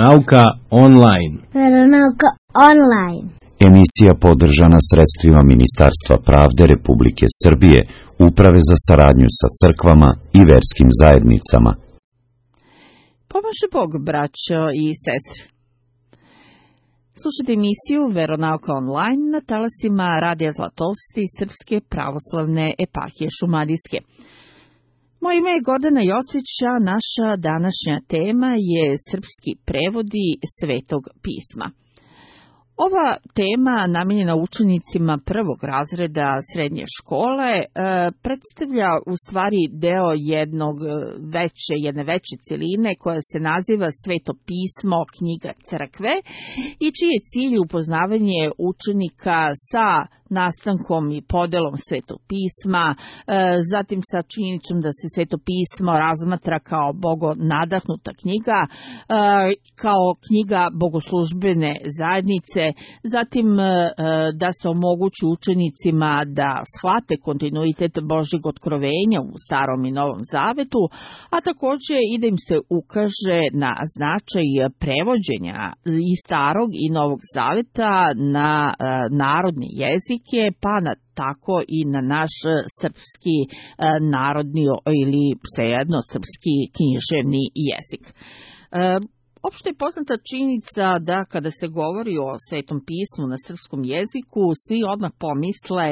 Veronauka online. Veronauka online. Emisija podržana sredstvima Ministarstva pravde Republike Srbije, Uprave za saradnju sa crkvama i verskim zajednicama. Pomaže Bog, braćo i sestre. Slušajte emisiju Veronauka online na talasima Radija Zlatolsti Srpske pravoslavne eparhije Šumadijske. Moje ime je Gordana Jocić, a naša današnja tema je srpski prevodi Svetog pisma. Ova tema, namijenjena učenicima prvog razreda srednje škole, predstavlja u stvari deo jedne veće celine koja se naziva Sveto pismo, knjiga crkve, i čiji je cilj upoznavanje učenika sa nastankom i podelom Svetog pisma, zatim sa činjenicom da se Sveto pismo razmatra kao bogonadahnuta knjiga, kao knjiga bogoslužbene zajednice, zatim da se omogući učenicima da shvate kontinuitet Božjeg otkrovenja u Starom i Novom Zavetu, a također i da im se ukaže na značaj prevođenja i Starog i Novog Zaveta na narodni jezike, pa tako i na naš srpski narodni ili svejedno srpski književni jezik. Opšte je poznata činjenica da kada se govori o Svetom pismu na srpskom jeziku, svi odmah pomisle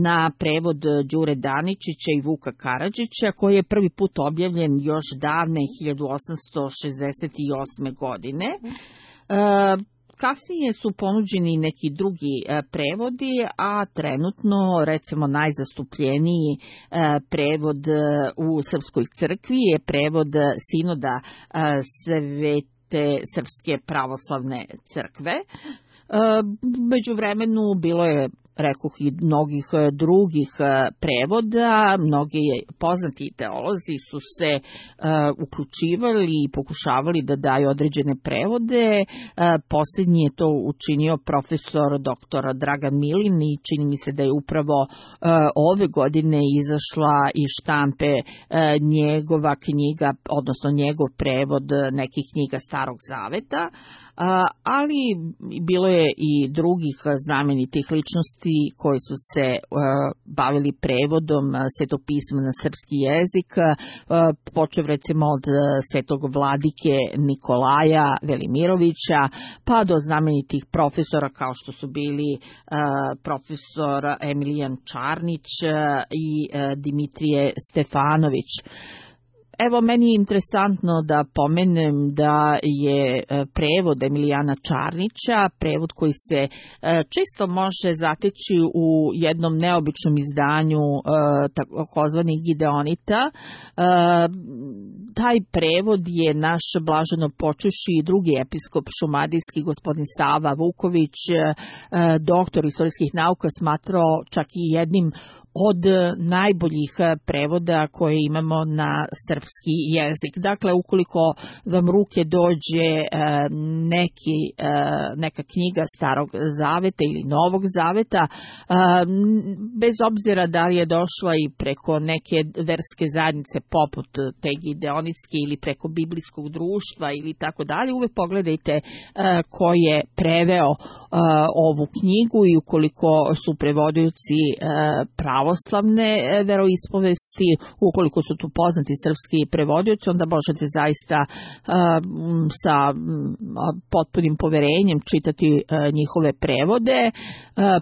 na prevod Đure Daničića i Vuka Karadžića, koji je prvi put objavljen još davne 1868. godine. Kasnije su ponuđeni neki drugi prevodi, a trenutno, recimo, najzastupljeniji prevod u Srpskoj crkvi je prevod Sinoda Svete Srpske pravoslavne crkve. Međuvremenu bilo je, rekoh, i mnogih drugih prevoda. Mnogi poznati teolozi su se uključivali i pokušavali da daju određene prevode. Posljednji je to učinio profesor dr. Dragan Milin i čini mi se da je upravo ove godine izašla iz štampe njegova knjiga, odnosno njegov prevod nekih knjiga Starog Zaveta. Ali bilo je i drugih znamenitih ličnosti koji su se bavili prevodom Svetog pisma na srpski jezik, počev recimo od svetog vladike Nikolaja Velimirovića, pa do znamenitih profesora kao što su bili profesor Emilijan Čarnić i Dimitrije Stefanović. Evo, meni je interesantno da pomenem da je prevod Emilijana Čarnića, prevod koji se često može zateći u jednom neobičnom izdanju takozvanih Gideonita. Taj prevod je naš blaženo počivši i drugi episkop šumadijski, gospodin Sava Vuković, doktor istorijskih nauka, smatrao čak i jednim od najboljih prevoda koje imamo na srpski jezik. Dakle, ukoliko vam ruke dođe neka knjiga Starog Zaveta ili Novog Zaveta, bez obzira da li je došla i preko neke verske zajednice poput te Gideonitske ili preko biblijskog društva ili tako dalje, uvek pogledajte ko je preveo ovu knjigu i ukoliko su prevodioci pravoslavne veroispovesti, ukoliko su tu poznati srpski prevodioci, onda možete zaista sa potpunim poverenjem čitati njihove prevode,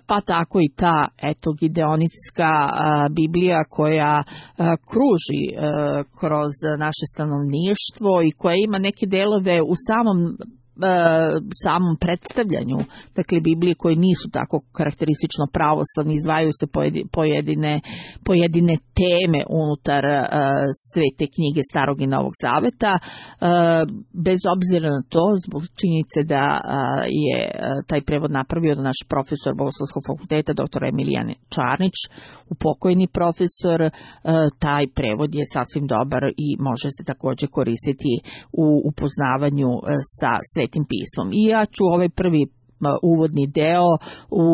pa tako i ta Gideonitska Biblija koja kruži kroz naše stanovništvo i koja ima neke delove u samom predstavljanju, dakle Biblije koje nisu tako karakteristično pravoslavni, izdvajaju se pojedine teme unutar svete knjige Starog i Novog Zaveta. Bez obzira na to, zbog činjenice da je taj prevod napravio naš profesor Bogoslovskog fakulteta, dr. Emilijan Čarnić, upokojeni profesor, taj prevod je sasvim dobar i može se također koristiti u upoznavanju sa Svetim pismom. I ja ću ovaj prvi uvodni deo u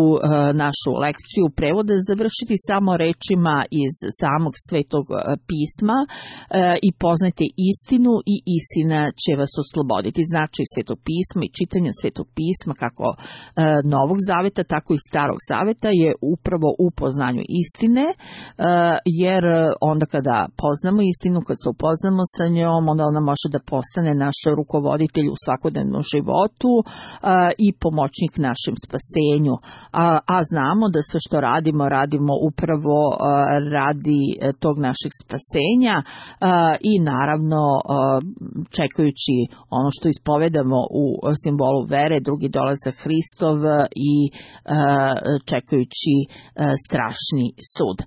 našu lekciju prevoda završiti samo rečima iz samog Svetog pisma i poznajte istinu i istina će vas osloboditi. Znači Svetog pisma i čitanje Svetog pisma kako Novog zaveta, tako i Starog zaveta je upravo u poznanju istine, jer onda kada poznamo istinu, kad se upoznamo sa njom, onda ona može da postane naš rukovoditelj u svakodnevnom životu i pomoćnik našem spasenju. A znamo da sve što radimo upravo radi tog našeg spasenja i naravno čekajući ono što ispovedamo u simbolu vere, drugi dolazak Hristov i čekajući strašni sud.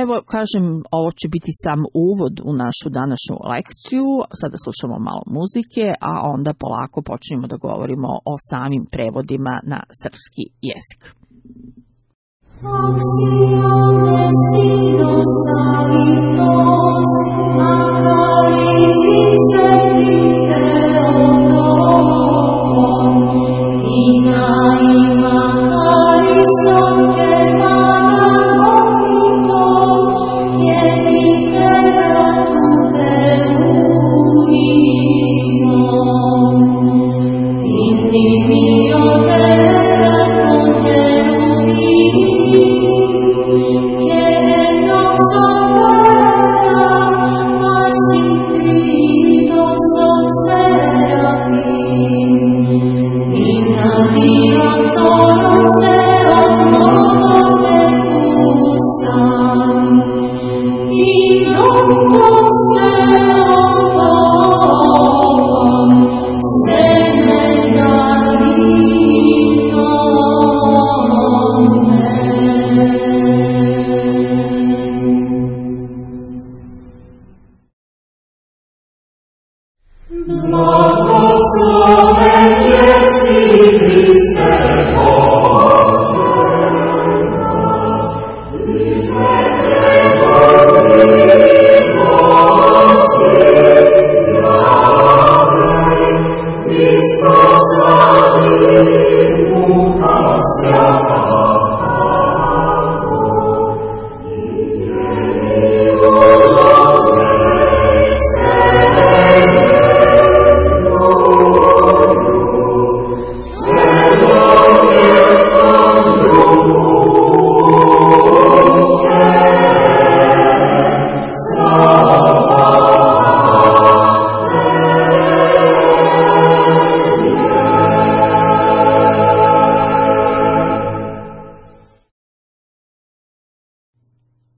Evo, kažem, ovo će biti sam uvod u našu današnju lekciju. Sada slušamo malo muzike, a onda polako počnemo da govorimo o samim prevodima na srpski jezik.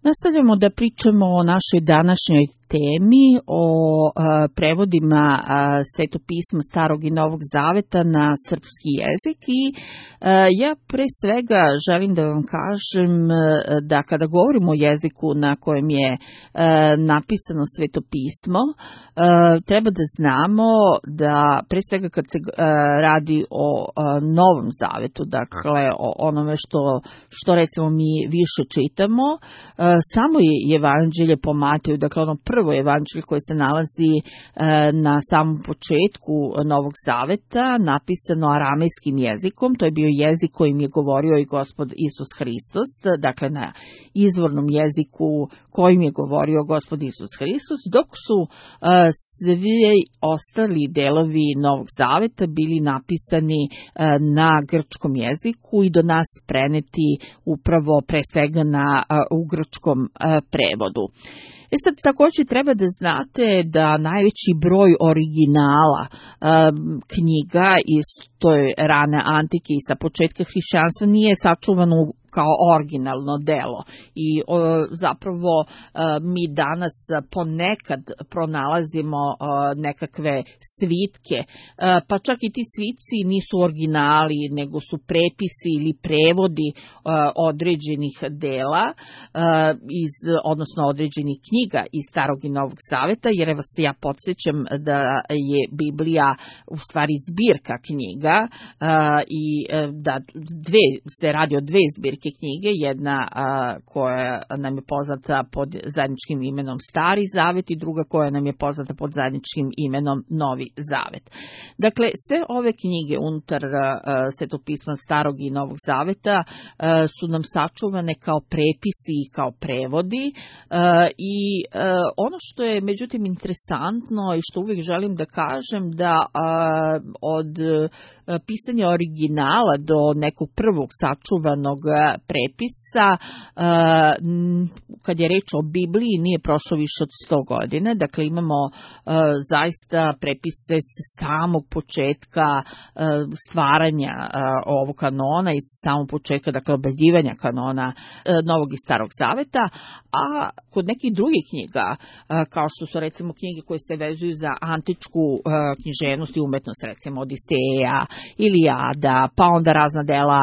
Nastavljamo da pričamo o našoj današnjoj temi, o prevodima Svetopisma Starog i Novog Zaveta na srpski jezik i ja pre svega želim da vam kažem da kada govorimo o jeziku na kojem je napisano Svetopismo, treba da znamo da pre svega kad se radi o Novom Zavetu, dakle o onome što recimo mi više čitamo, samo je evanđelje po Mateju, dakle ono prvo evanđelje koje se nalazi na samom početku Novog Zaveta, napisano aramejskim jezikom, to je bio jezik kojim je govorio i Gospod Isus Hristos, dakle na izvornom jeziku kojim je govorio Gospod Isus Hristos, dok su svi ostali delovi Novog Zaveta bili napisani na grčkom jeziku i do nas preneti upravo pre svega u grčkom prevodu. Sad također treba da znate da najveći broj originala knjiga iz toj rane antike i sa početka hrišćanstva nije sačuvano kao originalno delo i zapravo mi danas ponekad pronalazimo nekakve svitke, pa čak i ti svitci nisu originali, nego su prepisi ili prevodi određenih dela, odnosno određenih knjiga iz Starog i Novog Zaveta, jer vas ja podsjećam da je Biblija u stvari zbirka knjiga i da se radi o dve zbirke velike knjige, jedna koja nam je poznata pod zajedničkim imenom Stari Zavet i druga koja nam je poznata pod zajedničkim imenom Novi Zavet. Dakle, sve ove knjige unutar Svetopisma Starog i Novog Zaveta su nam sačuvane kao prepisi i kao prevodi i ono što je međutim interesantno i što uvijek želim da kažem da od pisanja originala do nekog prvog sačuvanog prepisa, kad je reč o Bibliji, nije prošlo više od 100 godina. Dakle, imamo zaista prepise s samog početka stvaranja ovog kanona i s samog početka, dakle, objavljivanja kanona Novog i Starog Zaveta, a kod nekih drugih knjiga, kao što su recimo knjige koje se vezuju za antičku književnost i umetnost, recimo Odiseja, Ilijada, pa onda razna dela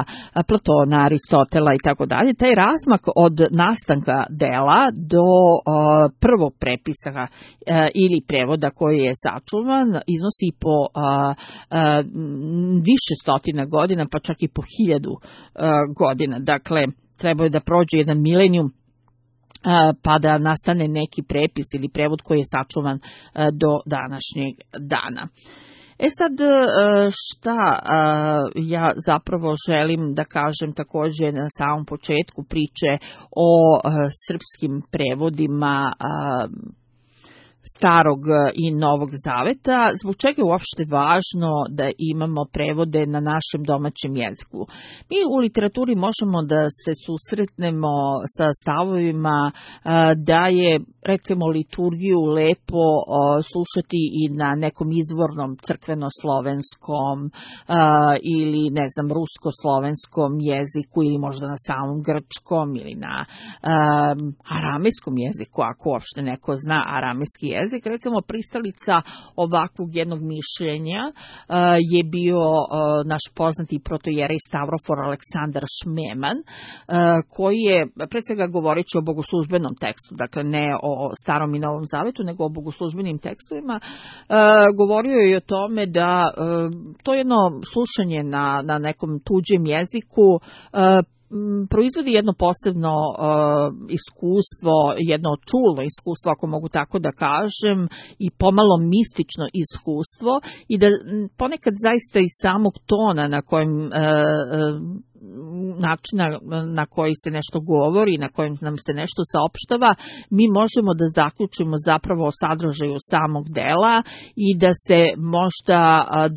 Platona, Aristotela i tako dalje, taj razmak od nastanka dela do prvog prepisa ili prevoda koji je sačuvan iznosi po više stotina godina, pa čak i po 1000 godina. Dakle, treba je da prođe jedan milenijum pa da nastane neki prepis ili prevod koji je sačuvan do današnjeg dana. Sad, šta ja zapravo želim da kažem također na samom početku priče o srpskim prevodima Starog i Novog Zaveta, zbog čega je uopšte važno da imamo prevode na našem domaćem jeziku. Mi u literaturi možemo da se susretnemo sa stavovima da je, recimo, liturgiju lepo slušati i na nekom izvornom crkveno-slovenskom ili, ne znam, rusko-slovenskom jeziku ili možda na samom grčkom ili na aramejskom jeziku, ako uopšte neko zna aramejski jezik. Recimo, pristalica ovakvog jednog mišljenja je bio naš poznati protojerej Stavrofor Aleksandar Šmeman, koji je, pre svega govoreći o bogoslužbenom tekstu, dakle ne o Starom i Novom Zavetu, nego o bogoslužbenim tekstovima, govorio je o tome da to jedno slušanje na nekom tuđem jeziku proizvodi jedno posebno iskustvo, jedno čulno iskustvo, ako mogu tako da kažem, i pomalo mistično iskustvo, i da ponekad zaista iz samog tona na kojem načina na koji se nešto govori, na kojem nam se nešto saopštava, mi možemo da zaključimo zapravo o sadržaju samog dela i da se možda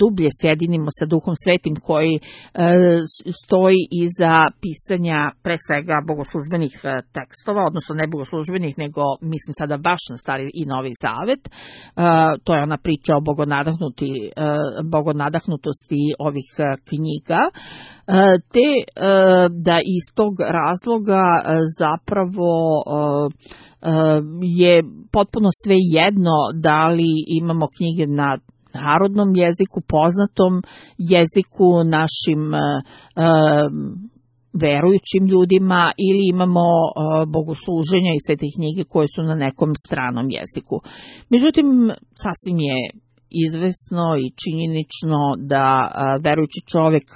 dublje sjedinimo sa Duhom Svetim koji stoji iza pisanja pre svega bogoslužbenih tekstova, odnosno ne bogoslužbenih, nego mislim sada baš na Stari i Novi Zavet. To je ona priča o bogonadahnutosti ovih knjiga, te da iz tog razloga zapravo je potpuno sve jedno da li imamo knjige na narodnom jeziku, poznatom jeziku našim verujućim ljudima, ili imamo bogosluženja i sve te knjige koje su na nekom stranom jeziku. Međutim, sasvim je izvesno i činjenično da verujući čovjek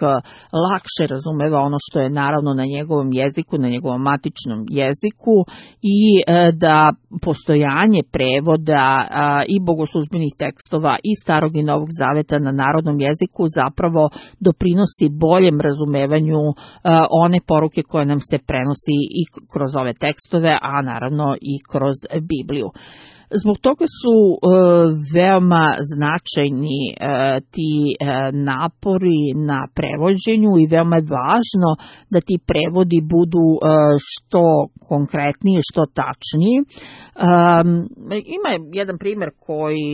lakše razumeva ono što je naravno na njegovom jeziku, na njegovom matičnom jeziku, i da postojanje prevoda i bogoslužbenih tekstova i Starog i Novog Zaveta na narodnom jeziku zapravo doprinosi boljem razumevanju one poruke koje nam se prenosi i kroz ove tekstove, a naravno i kroz Bibliju. Zbog toga su veoma značajni ti napori na prevođenju i veoma je važno da ti prevodi budu što konkretniji, što tačniji. Ima jedan primjer koji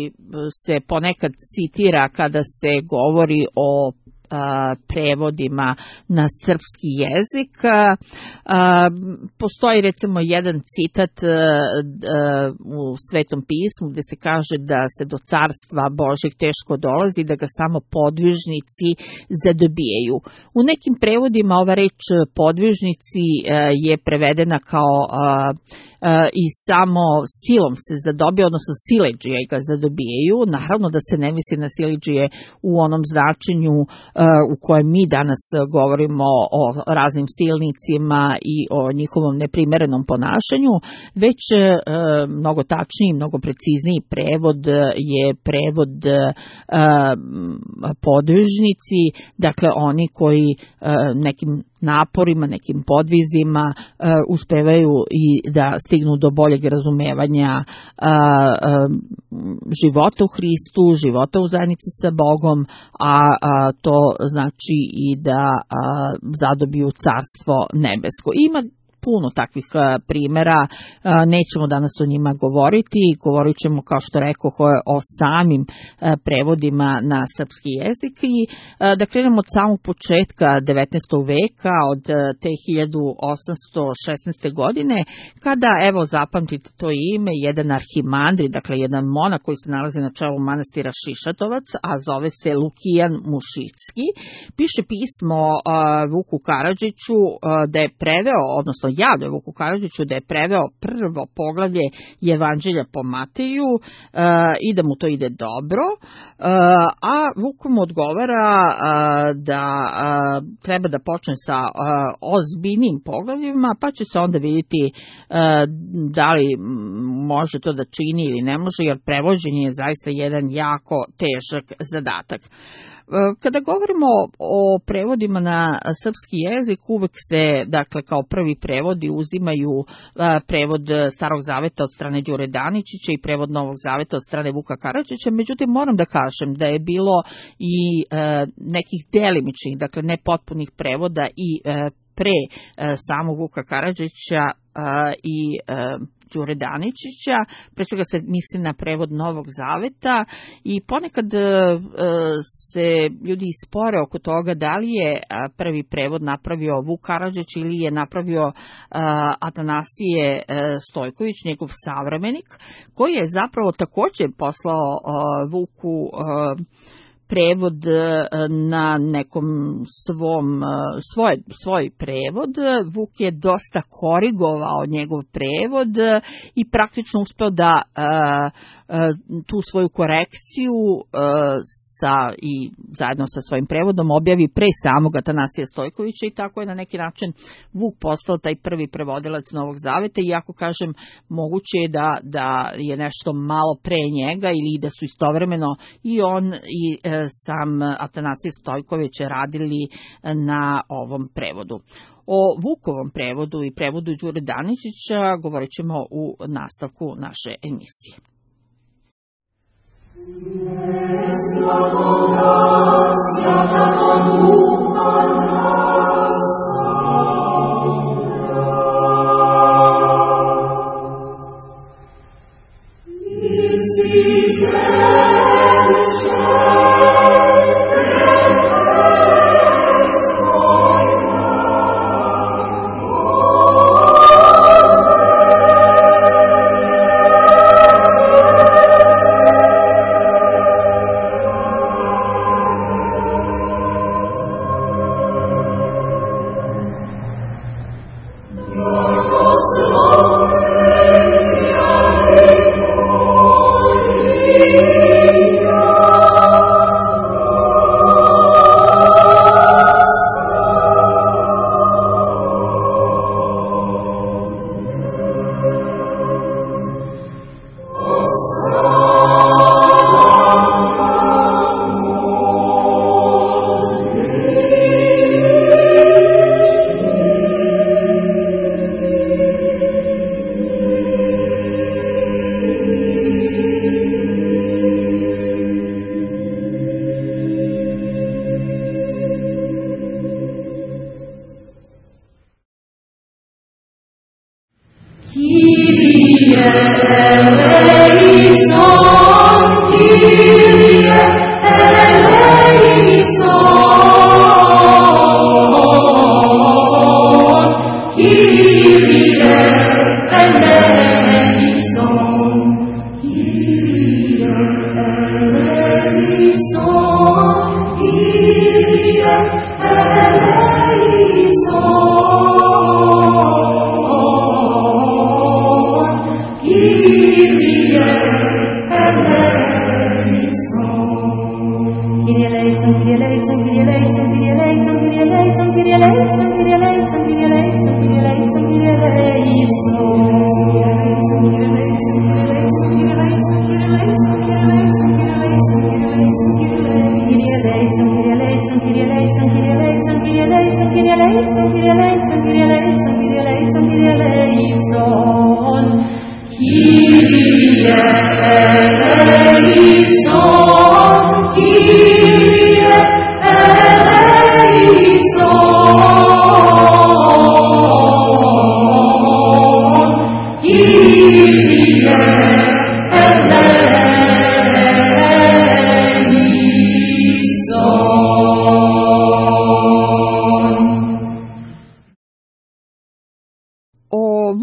se ponekad citira kada se govori o prevodima na srpski jezik. Postoji recimo jedan citat u Svetom pismu gdje se kaže da se do carstva Božjeg teško dolazi, da ga samo podvižnici zadobijaju. U nekim prevodima ova reč podvižnici je prevedena kao i samo silom se zadobije, odnosno siledžije ga zadobijaju. Naravno da se ne misli na siledžije u onom značenju u kojem mi danas govorimo o raznim silnicima i o njihovom neprimerenom ponašanju, već mnogo tačniji, mnogo precizniji prevod je prevod podvižnici, dakle oni koji nekim naporima, nekim podvizima uspevaju i da stignu do boljeg razumevanja života u Hristu, života u zajednici sa Bogom, a to znači i da zadobiju carstvo nebesko. Ima puno takvih primjera, nećemo danas o njima govoriti, govorit ćemo, kao što rekoh, o samim prevodima na srpski jezik i da krenemo od samog početka 19. veka, od te 1816. godine, kada, evo, zapamtite to ime, jedan arhimandrit, dakle jedan monah koji se nalazi na čelu manastira Šišatovac, a zove se Lukijan Mušicki, piše pismo Vuku Karadžiću da je preveo, odnosno javlja Vuku Karadžiću da je preveo prvo poglavlje Evanđelja po Mateju i da mu to ide dobro, a Vuk mu odgovara da treba da počne sa ozbiljnim poglavljima, pa će se onda vidjeti da li može to da čini ili ne može, jer prevođenje je zaista jedan jako težak zadatak. Kada govorimo o prevodima na srpski jezik, uvek se, dakle, kao prvi prevodi uzimaju prevod Starog zaveta od strane Đure Daničića i prevod Novog zaveta od strane Vuka Karadžića, međutim moram da kažem da je bilo i nekih delimičnih, dakle ne potpunih prevoda i pre samog Vuka Karadžića i Đure Daničića, pre svega se misli na prevod Novog zaveta i ponekad se ljudi spore oko toga da li je prvi prevod napravio Vuk Karadžić ili je napravio Atanasije Stojković, njegov savremenik, koji je zapravo također poslao Vuku prevod na nekom svoj prevod. Vuk je dosta korigovao njegov prevod i praktično uspeo da tu svoju korekciju i zajedno sa svojim prevodom objavi pre samog Atanasija Stojkovića i tako je na neki način Vuk postao taj prvi prevodilac Novog zaveta, iako kažem moguće je da je nešto malo pre njega ili da su istovremeno i on i sam Atanasije Stojković radili na ovom prevodu. O Vukovom prevodu i prevodu Đure Daničića govorit ćemo u nastavku naše emisije. Oh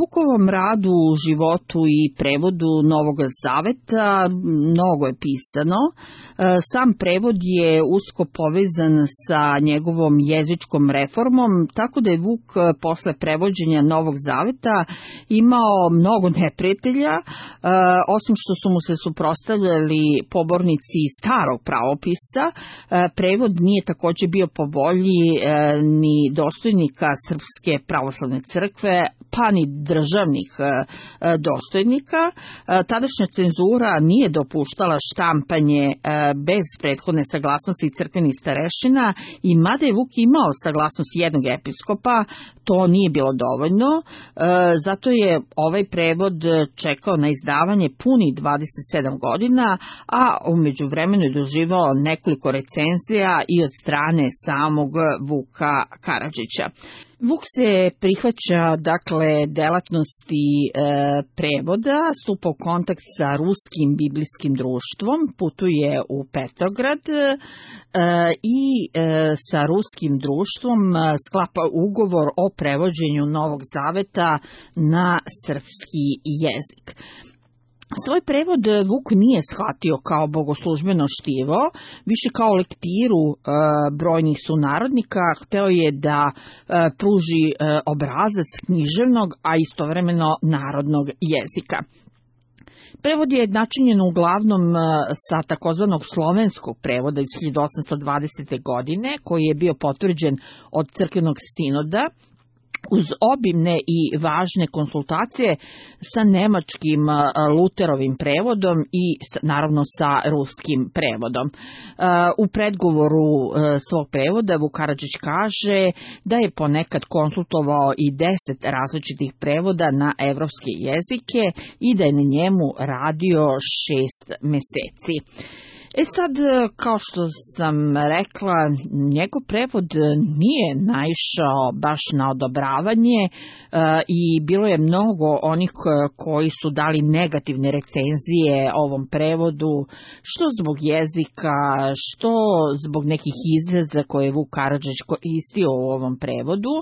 Vukovom radu, životu i prevodu Novog Zaveta mnogo je pisano. Sam prevod je usko povezan sa njegovom jezičkom reformom, tako da je Vuk posle prevođenja Novog Zaveta imao mnogo neprijatelja, osim što su mu se suprotstavljali pobornici starog pravopisa. Prevod nije takođe bio po volji ni dostojnika Srpske pravoslavne crkve, pa ni državnih dostojnika. Tadašnja cenzura nije dopuštala štampanje bez prethodne saglasnosti crkvenih starešina i mada je Vuk imao saglasnost jednog episkopa, to nije bilo dovoljno, zato je ovaj prevod čekao na izdavanje puni 27 godina, a u međuvremenu je doživao nekoliko recenzija i od strane samog Vuka Karadžića. Vuk se prihvaća, dakle, delatnosti prevoda, stupa u kontakt sa Ruskim biblijskim društvom, putuje u Petrograd i sa Ruskim društvom sklapa ugovor o prevođenju Novog Zaveta na srpski jezik. Svoj prevod Vuk nije shvatio kao bogoslužbeno štivo, više kao lektiru brojnih sunarodnika. Hteo je da pruži obrazac književnog, a istovremeno narodnog jezika. Prevod je načinjen uglavnom sa takozvanog slovenskog prevoda iz 1820. godine, koji je bio potvrđen od crkvenog sinoda, uz obimne i važne konsultacije sa nemačkim Luterovim prevodom i naravno sa ruskim prevodom. U predgovoru svog prevoda Vuk Karadžić kaže da je ponekad konsultovao i 10 različitih prevoda na evropske jezike i da je na njemu radio 6 meseci. Sad, kao što sam rekla, njegov prevod nije naišao baš na odobravanje i bilo je mnogo onih koji su dali negativne recenzije ovom prevodu, što zbog jezika, što zbog nekih izraza koje je Vuk Karadžić koristio u ovom prevodu.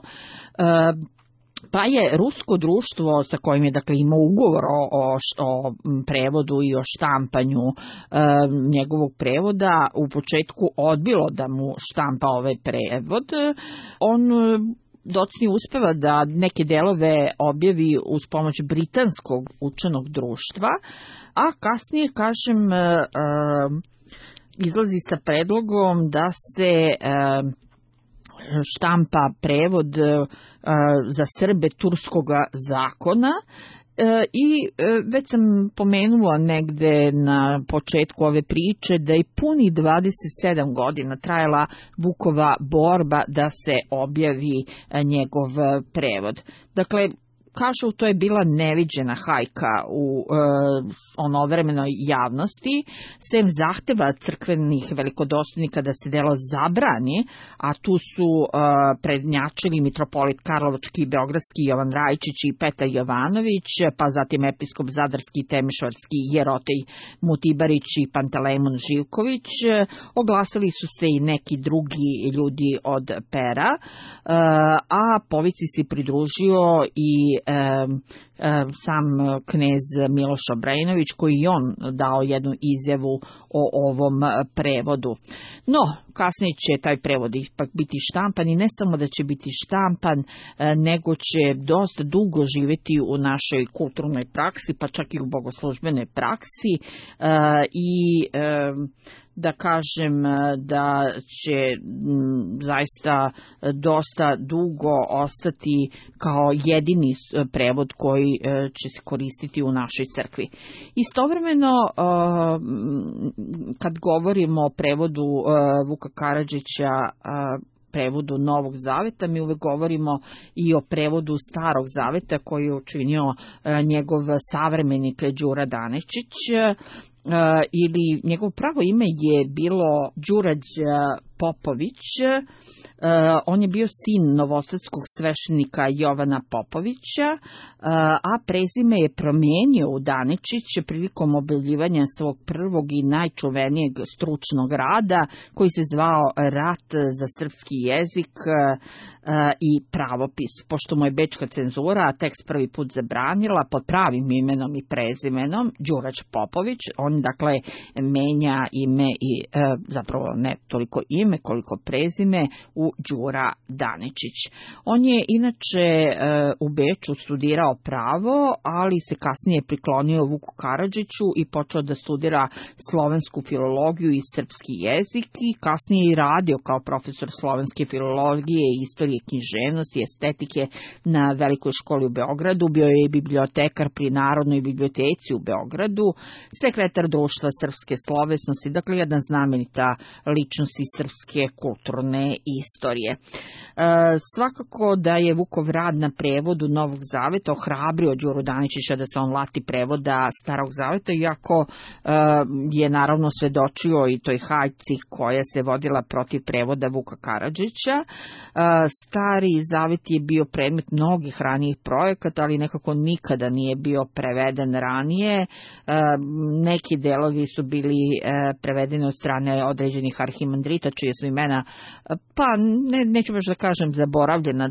Pa je rusko društvo sa kojim je dakle imao ugovor o prevodu i o štampanju njegovog prevoda u početku odbilo da mu štampa ovaj prevod. On docnije uspeva da neke delove objavi uz pomoć britanskog učenog društva, a kasnije, kažem, izlazi sa predlogom da se štampa prevod za Srbe turskog zakona i već sam pomenula negde na početku ove priče da je puni 27 godina trajala Vukova borba da se objavi njegov prevod. Dakle, kažu, to je bila neviđena hajka u onovremenoj javnosti, sem zahteva crkvenih velikodostojnika da se delo zabrani, a tu su prednjačili mitropolit Karlovački i Beogradski Jovan Rajičić i Petar Jovanović, pa zatim episkop Zadarski i Temišvarski Jerotej Mutibarić i Pantelejmon Živković. Oglasili su se i neki drugi ljudi od pera, a povici se pridružio i sam knez Miloš Obrenović, koji je on dao jednu izjavu o ovom prevodu. No, kasnije će taj prevod ipak biti štampan i ne samo da će biti štampan, nego će dosta dugo živjeti u našoj kulturnoj praksi, pa čak i u bogoslužbenoj praksi i da kažem da će zaista dosta dugo ostati kao jedini prevod koji će se koristiti u našoj crkvi. Istovremeno, kad govorimo o prevodu Vuka Karadžića, prevodu Novog zaveta, mi uvek govorimo i o prevodu Starog zaveta koji je učinio njegov savremenik Đura Danečić, ili njegovo pravo ime je bilo Đurađ Popović. On je bio sin novosadskog sveštenika Jovana Popovića, a prezime je promijenio u Danečić prilikom objavljivanja svog prvog i najčuvenijeg stručnog rada koji se zvao Rat za srpski jezik i pravopis. Pošto mu je bečka cenzura tekst prvi put zabranila pod pravim imenom i prezimenom Đurađ Popović, on dakle menja ime i zapravo ne toliko ime koliko prezime u Đura Danečić. On je inače u Beču studirao pravo, ali se kasnije priklonio Vuku Karadžiću i počeo da studira slovensku filologiju i srpski jezik i kasnije i radio kao profesor slovenske filologije, istorije, književnosti i estetike na Velikoj školi u Beogradu. Bio je i bibliotekar pri Narodnoj biblioteci u Beogradu, sekretar društva srpske slovesnosti, dakle jedan znamenita ličnost iz srpske kulturne istorije. Svakako da je Vukov rad na prevodu Novog zaveta ohrabrio Đuru Danečića da se on lati prevoda Starog zaveta, iako je naravno svedočio i toj hajci koja se vodila protiv prevoda Vuka Karadžića. Stari zavet je bio predmet mnogih ranijih projekata, ali nekako nikada nije bio preveden ranije. Neki delovi su bili prevedeni od strane određenih arhimandrita, čije su imena, pa neću baš da kažem zaboravljena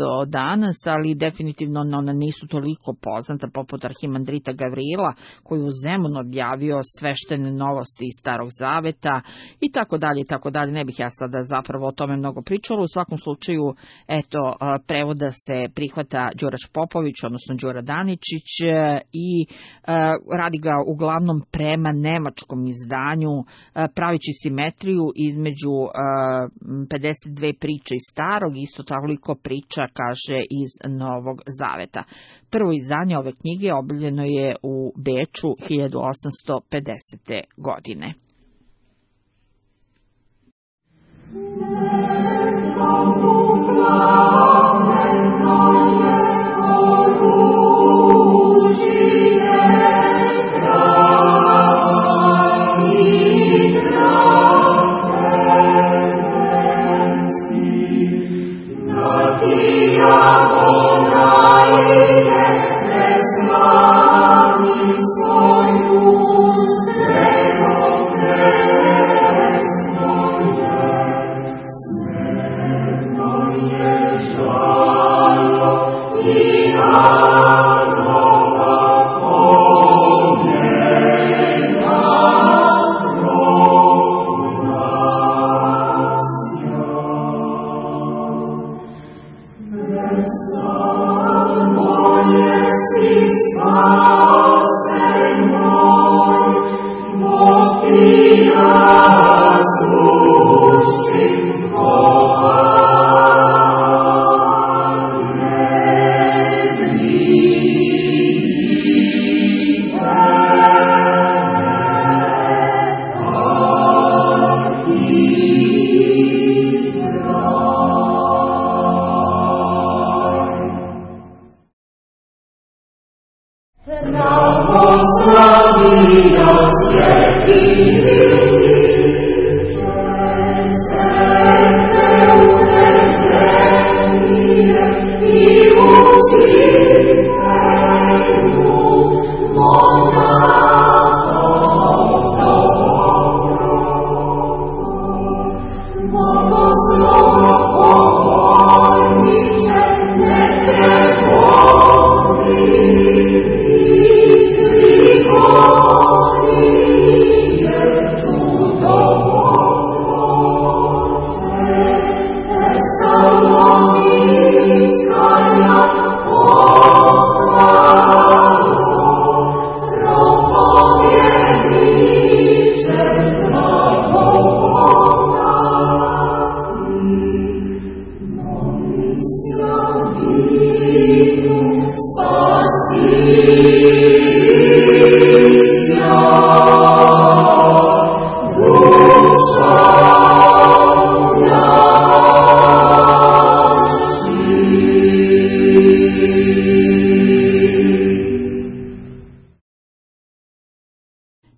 do danas, ali definitivno ona nisu toliko poznata, poput arhimandrita Gavrila, koji u Zemunu objavio sveštene novosti iz Starog zaveta i tako dalje i tako dalje. Ne bih ja sada zapravo o tome mnogo pričala. U svakom slučaju, eto, prevoda se prihvata Đurađ Popović, odnosno Đura Danečić, i radi ga uglavnom prema nemačkom izdanju, pravići simetriju između 52 priče iz Starog, isto toliko priča, kaže, iz Novog zaveta. Prvo izdanje ove knjige objavljeno je u Beču 1850. godine. Svoju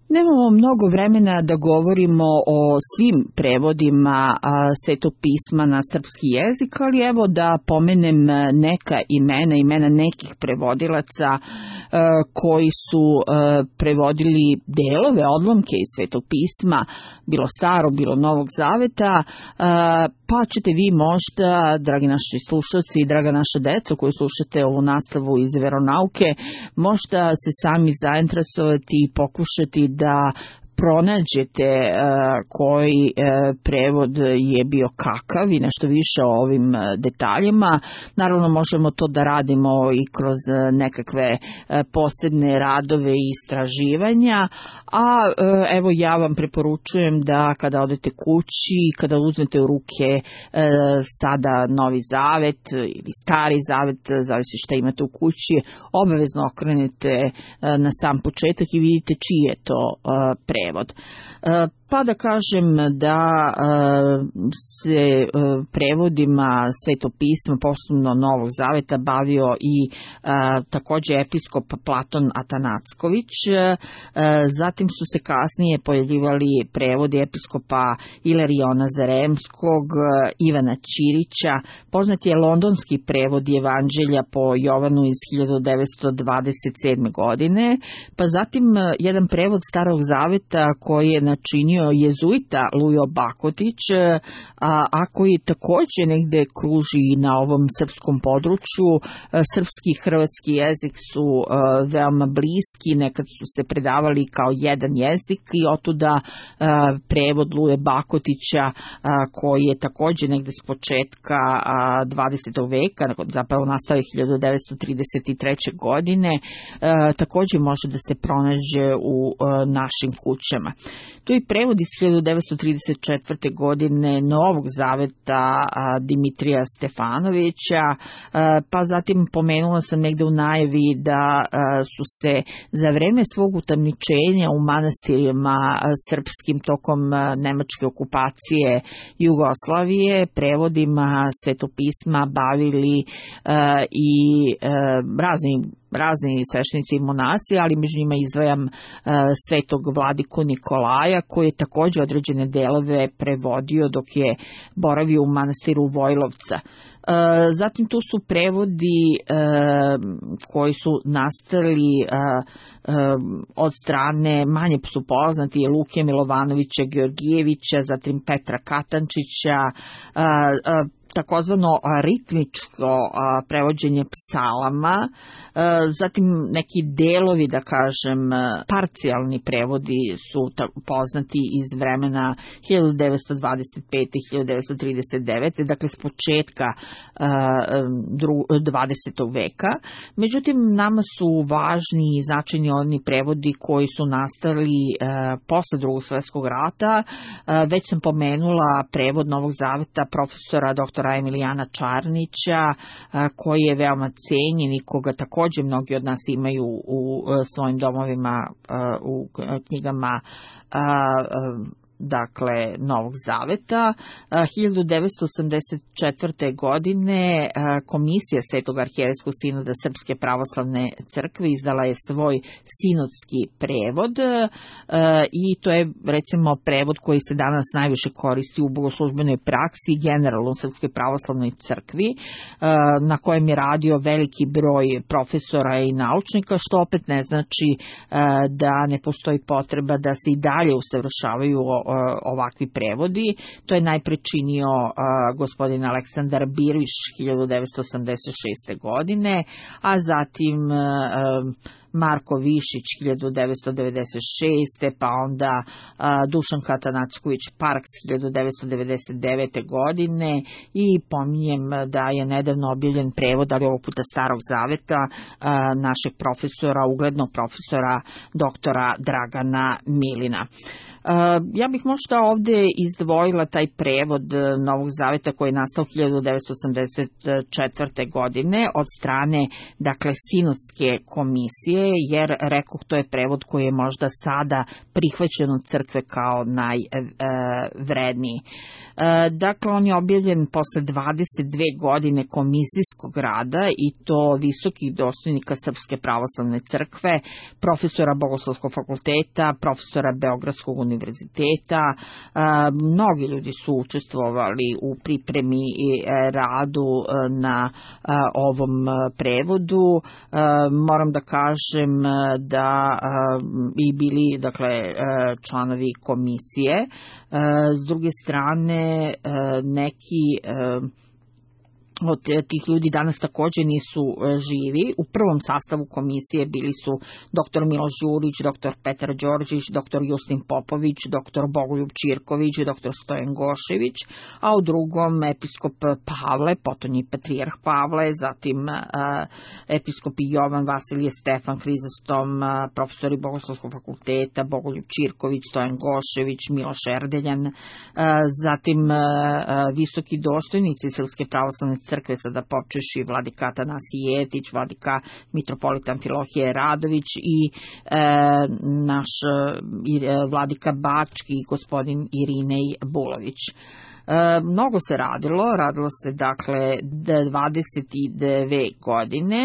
Nemamo mnogo vremena da govorimo o svim prevodima Svetog pisma na srpski jezik, ali evo da pomenem neka imena nekih prevodilaca koji su prevodili delove, odlomke iz Svetog pisma, bilo Starog, bilo Novog Zaveta, pa ćete vi možda, dragi naši slušalci i draga naša deco koji slušate ovu nastavu iz veronauke, možda se sami zainteresovati i pokušati da pronađete koji prevod je bio kakav i nešto više o ovim detaljima. Naravno možemo to da radimo i kroz nekakve posebne radove i istraživanja, a evo ja vam preporučujem da kada odete kući, kada uzmete u ruke sada Novi Zavet ili Stari Zavet, zavisi šta imate u kući, obavezno okrenete na sam početak i vidite čiji je to prevod. Pa da kažem da se prevodima Svetog pisma, posebno Novog Zaveta, bavio i takođe episkop Platon Atanacković. Zatim su se kasnije pojavljivali prevodi episkopa Ilariona Zaremskog, Ivana Ćirića. Poznat je londonski prevod Evanđelja po Jovanu iz 1927. godine, pa zatim jedan prevod Starog Zaveta koji je načinio jezuita Lujo Bakotić, a koji takođe negde kruži na ovom srpskom području. Srpski i hrvatski jezik su veoma bliski, nekad su se predavali kao jedan jezik i otuda prevod Luje Bakotića koji je takođe negde s početka 20. veka, zapravo nastao je 1933. godine, takođe može da se pronađe u našim kućama. Tu je prevod iz 1934. godine Novog Zaveta Dimitrija Stefanovića, pa zatim pomenula sam negde u najavi da su se za vreme svog utamničenja u manastirima srpskim tokom nemačke okupacije Jugoslavije prevodima Svetog pisma bavili i razni sveštenici i monasi, ali među njima izdvajam Svetog vladiku Nikolaja, koji je takođe određene delove prevodio dok je boravio u manastiru Vojlovca. Zatim tu su prevodi koji su nastali od strane, manje su poznati, Luke Milovanovića Georgijevića, zatim Petra Katančića, takozvano ritmičko prevođenje psalama, zatim neki delovi, da kažem, parcijalni prevodi su poznati iz vremena 1925. i 1939. dakle s početka 20. veka. Međutim, nama su važni i značajni oni prevodi koji su nastali posle Drugog svjetskog rata. Već sam pomenula prevod Novog Zaveta profesora doktora Emilijana Čarnića, koji je veoma cenjen i koga takođe mnogi od nas imaju u svojim domovima, u knjigama dakle Novog Zaveta. 1984. godine Komisija Svetog arhijerejskog sinoda Srpske pravoslavne crkve izdala je svoj sinodski prevod i to je recimo prevod koji se danas najviše koristi u bogoslužbenoj praksi i generalno u Srpskoj pravoslavnoj crkvi, na kojem je radio veliki broj profesora i naučnika, što opet ne znači da ne postoji potreba da se i dalje usavršavaju ovakvi prevodi. To je najpre činio gospodin Aleksandar Birviš 1986. godine, a zatim Marko Višić 1996. pa onda Dušan Katanacković Parks 1999. godine i pominjem da je nedavno objavljen prevod, ali ovog puta Starog Zaveta, našeg profesora, uglednog profesora doktora Dragana Milina. Ja bih možda ovde izdvojila taj prevod Novog zaveta koji je nastao 1984. godine od strane, dakle, Sinodske komisije, jer rekoh, to je prevod koji je možda sada prihvaćen od crkve kao najvredniji. Dakle, on je objavljen posle 22 godine komisijskog rada i to visokih dostojnika Srpske pravoslavne crkve, profesora Bogoslovskog fakulteta, profesora Beogradskog univerziteta. Mnogi ljudi su učestvovali u pripremi i radu na ovom prevodu. Moram da kažem da i bili, dakle, članovi komisije. S druge strane, neki od tih ljudi danas takođe nisu živi. U prvom sastavu komisije bili su dr. Miloš Đurić, dr. Petar Đorđić, dr. Justin Popović, dr. Bogoljub Ćirković, dr. Stojan Gošević, a u drugom episkop Pavle, potonji patrijarh Pavle, zatim episkopi Jovan, Vasilije, Stefan, Hrizostom, profesori Bogoslovskog fakulteta, Bogoljub Ćirković, Stojan Gošević, Miloš Erdeljan, zatim visoki dostojnici Srpske pravoslavne crkve, sada počeši vladika Atanasije Jeftić, vladika mitropolita Amfilohije Radović i naš vladika Bački, gospodin Irinej Bulović. Mnogo se radilo se dakle 22 godine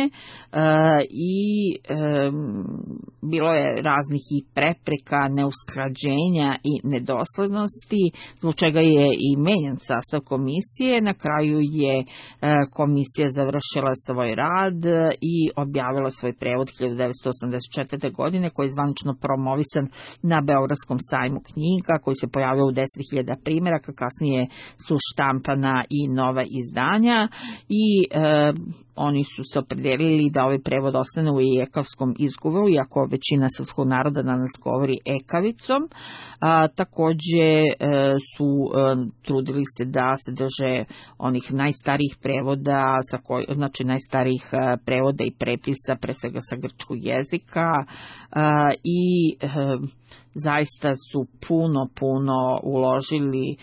i bilo je raznih i prepreka, neusklađenja i nedoslednosti, zbog čega je i menjan sastav komisije. Na kraju je komisija završila svoj rad i objavila svoj prevod 1984. godine, koji je zvanično promovisan na Beogradskom sajmu knjiga, koji se pojavio u 10.000 primjeraka, kasnije su štampana i nova izdanja i oni su se opredelili da ovaj prevod ostane u ekavskom izgovoru, iako većina srpskog naroda danas govori ekavicom. Takođe su trudili se da se drže onih najstarijih prevoda, znači najstarijih prevoda i prepisa, pre svega sa grčkog jezika, i zaista su puno uložili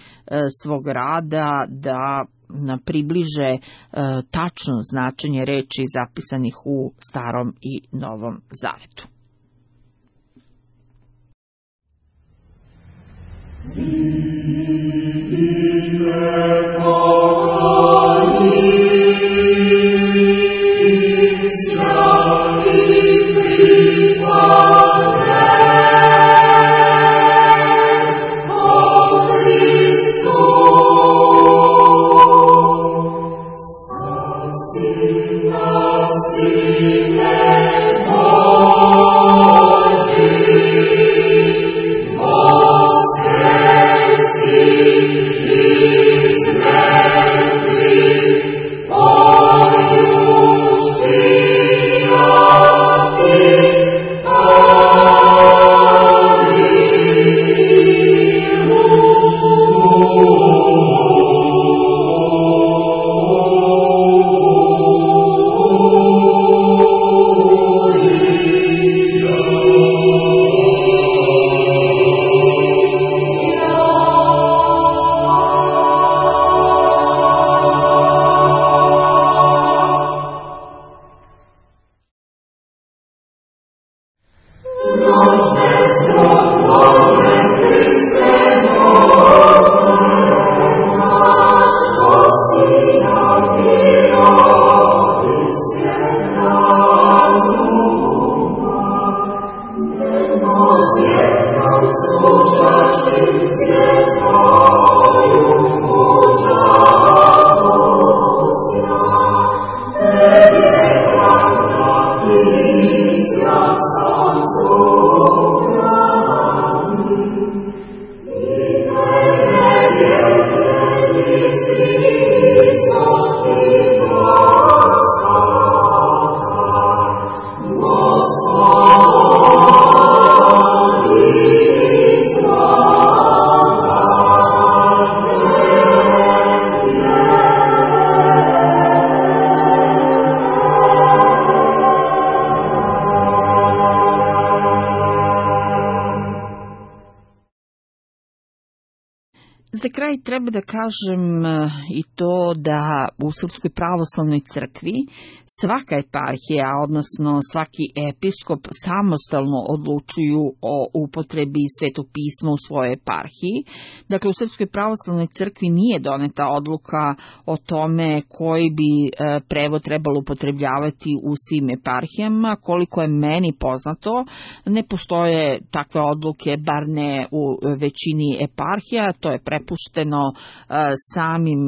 svog rada da približe tačno značenje reči zapisanih u Starom i Novom Zavetu. Israel. kraj treba da kažem i to da u Srpskoj pravoslavnoj crkvi svaka eparhija, odnosno svaki episkop samostalno odlučuju o upotrebi Svetog pisma u svojoj eparhiji. Dakle, u Srpskoj pravoslavnoj crkvi nije doneta odluka o tome koji bi prevod trebalo upotrebljavati u svim eparhijama. Koliko je meni poznato, ne postoje takve odluke, bar ne u većini eparhija. To je prepušteno samim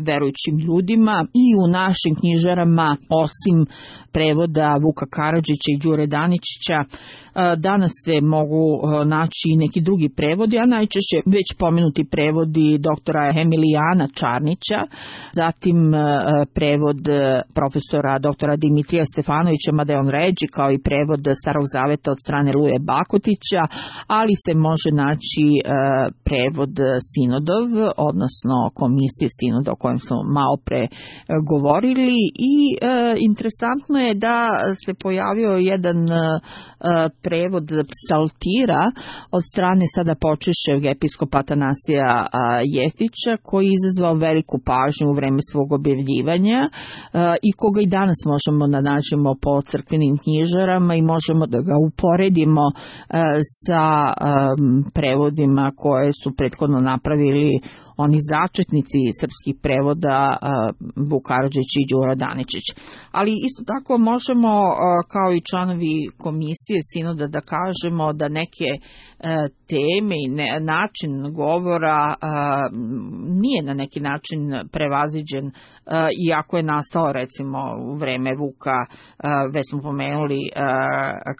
verujućim ljudima i u našim knjižarama, osim prevoda Vuka Karadžića i Đure Daničića. Danas se mogu naći i neki drugi prevodi, a najčešće već pomenuti prevodi doktora Emilijana Čarnića, zatim prevod profesora doktora Dimitrija Stefanovića, mada je on ređi, kao i prevod Starog zaveta od strane Luje Bakotića, ali se može naći prevod Sinodov, odnosno komisije Sinoda o kojem smo malo pre govorili, i interesantno je da se pojavio jedan prevod psaltira od strane sada počešćeg episkopa Atanasija Jeftića, koji je izazvao veliku pažnju u vreme svog objavljivanja i koga i danas možemo da nađemo po crkvenim knjižarama i možemo da ga uporedimo sa prevodima koje su prethodno napravili oni začetnici srpskih prevoda Vuk Karadžić i Đuro Daničić. Ali isto tako možemo kao i članovi komisije Sinoda da kažemo da neke teme i način govora nije na neki način prevaziđen, iako je nastao recimo u vreme Vuka, već smo pomenuli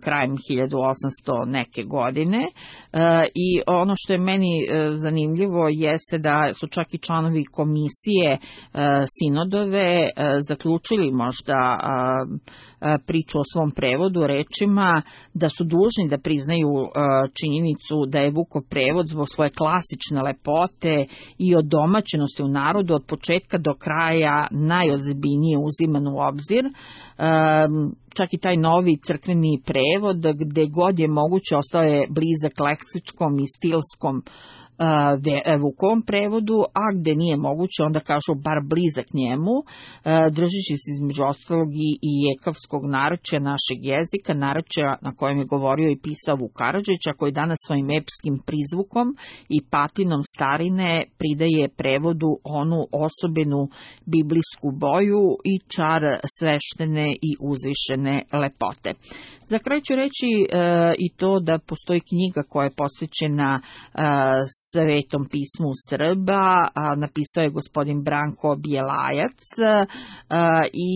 krajem 1800 neke godine, i ono što je meni zanimljivo jeste da su čak i članovi komisije Sinodove zaključili možda priču o svom prevodu rečima da su dužni da priznaju činjenicu da je Vukov prevod zbog svoje klasične lepote i odomaćenosti u narodu od početka do kraja najozbiljnije uziman u obzir. Čak i taj novi crkveni prevod, gde god je moguće, ostao je blizak leksičkom i stilskom Vukovom prevodu, a gde nije moguće, onda kažu bar blizak njemu, držeći se između ostalog i jekavskog narečja našeg jezika, narečja na kojem je govorio i pisao Vuk Karadžić, a koji danas svojim epskim prizvukom i patinom starine pridaje prevodu onu osobenu biblijsku boju i čar sveštene i uzvišene lepote. Za kraj ću reći i to da postoji knjiga koja je posvećena Svetom pismu Srba, napisao je gospodin Branko Bjelajac i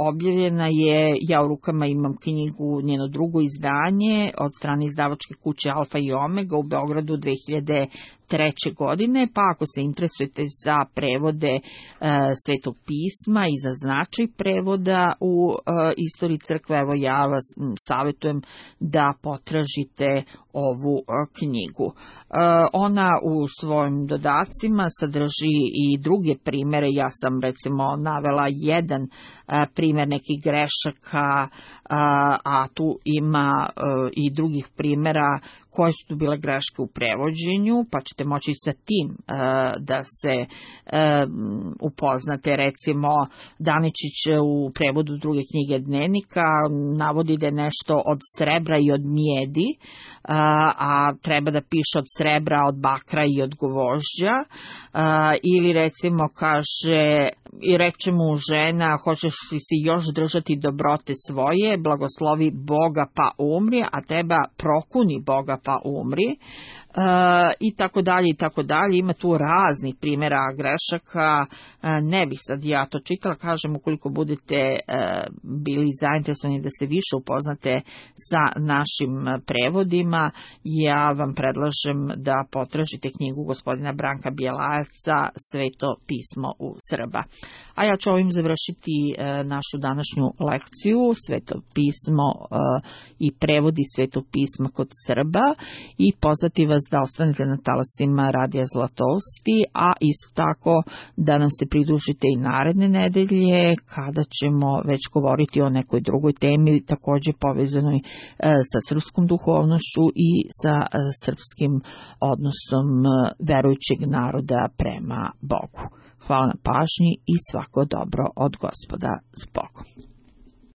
objavljena je, ja u rukama imam knjigu, njeno drugo izdanje od strane izdavačke kuće Alfa i Omega u Beogradu 2003. godine, pa ako se interesujete za prevode Svetog pisma i za značaj prevoda u istoriji crkve, evo ja vas savjetujem da potražite ovu knjigu. Ona u svojim dodacima sadrži i druge primere, ja sam recimo navela jedan primer nekih grešaka, a tu ima i drugih primera koje su tu bile greške u prevođenju, pa ćete moći sa tim da se upoznate. Recimo, Daničić u prevodu druge knjige Dnevnika navodi da je nešto od srebra i od mjedi, a treba da piše od srebra, od bakra i od gvožđa, ili recimo kaže, i reče mu žena, hoćeš li si još držati dobrote svoje, blagoslovi Boga pa umri, a teba prokuni Boga pa umri, i tako dalje i tako dalje. Ima tu raznih primjera grešaka, ne bih sad ja to čitala, kažem, ukoliko budete bili zainteresovani da se više upoznate sa našim prevodima, ja vam predlažem da potražite knjigu gospodina Branka Bjelajevca Sveto pismo u Srba. A ja ću ovim završiti našu današnju lekciju Sveto pismo i prevodi Svetog pisma kod Srba i pozvati vas da ostanete na talasima Radija Zlatousti, a isto tako da nam se pridružite i naredne nedelje kada ćemo već govoriti o nekoj drugoj temi, također povezanoj sa srpskom duhovnošću i sa srpskim odnosom verujućeg naroda prema Bogu. Hvala na pažnji i svako dobro od Gospoda s Bogom.